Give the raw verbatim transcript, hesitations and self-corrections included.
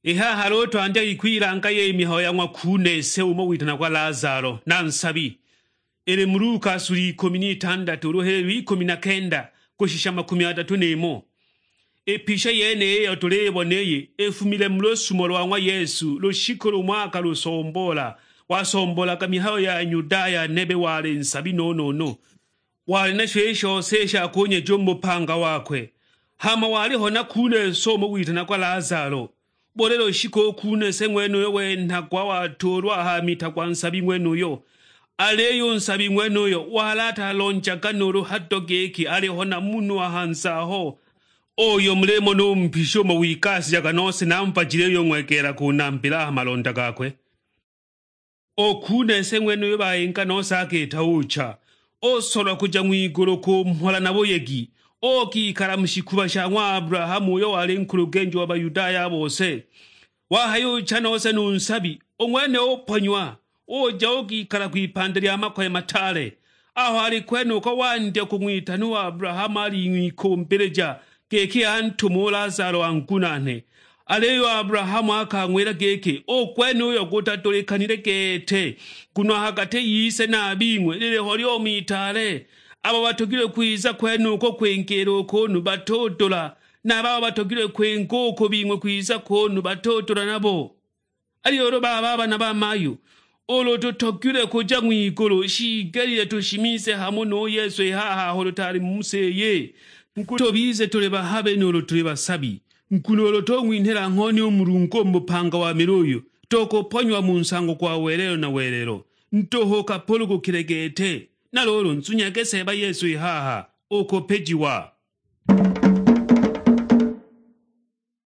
I haha lūtwandya kwilanga yī mihayo ya ng'wa kuune se ūmo witanagwa Lazalo na nsabi, īlī mu Luka sula ikūmi n'itandatu ūlū hela ikūmi na kenda kūshisha makūmi adatū n'īmò. Ī picha yenīyī īyo tūlībona īyī īfumile mu lūsumo lwa ng'wa Yesu lūshikū lūmo akalūsomboola, wasombolaga mihayo ya Nyudaya nebe waalī nsabi no-no-no. Walī nasho ī shose sha kūnyeja ū mu bupanga wakwe, hama walīho na kuune so ūmo witanagwa Lazalo. Būlī lūshikū ū kuune se ng'wenūyo wenhagwa watūūlwa ha mita gwa nsabi ng'wenūyo, alīyo ū nsabi ng'wenūyo wali atalonjaga nūūlū hado gīkī alīho na munhū wa hanze aho, ūyo mulīmona ū mpishi ūmo wigasījaga nose na mbajili īyo ng'wegeelaga ūnambīla a ha malonda gakwe. Ū kuune se ng'wenūyo bayīnga nose akiita ūcha, ūsolwa kūja ng'wigūlū kūmhola na buyegi, ūkikala mu shikuba sha ng'wa Abulahamu ūyo walī nkūlūgenji wa Bayudaya a bose. Wahayūcha nose nū nsabi, ū ng'wene ūponyiwa, ūja ūkikala kwipande lya makoye mataale. Aho alī kwenūko wandya kūng'witana ū Abulahamu alīng'wikūmbīlīja gīkī antūme ū Lazalo angunanhe. Alīyo ū Abulahamu akang'wīla gīkī, "Ū gwenūyo gūtadūlīkanile gete, nguno a ha gatī yise na a bing'we līlīho lyomi itaale. Abo batogilwe kwiza kwenūko kwingīla ū kūnū batūdūla, na a babo batogilwe kwinga ū kū bing'we kwiza kūnū batūdūla nabo." Aliyo ūlū baba a bana ba mayu, ūlū tūtogilwe kūja ng'wigūlū, shiigelile tūshimize hamò nū Yesu ī haha aho tūtaalī mu sī īyī. Nguno tūbize tūlī bahabi nūūlū tūlī basabi, nguno ūlū tūng'winhīla ng'honi ū Mulungu ū mu bupanga wa mīlū ūyū, tūkūponyiwa mu nsango gwa welelo na welelo. Ndūhū kapūlūgūkile gete, na lūūlū nzunyage Seeba Yesu ī haha, ūkūpejiwa.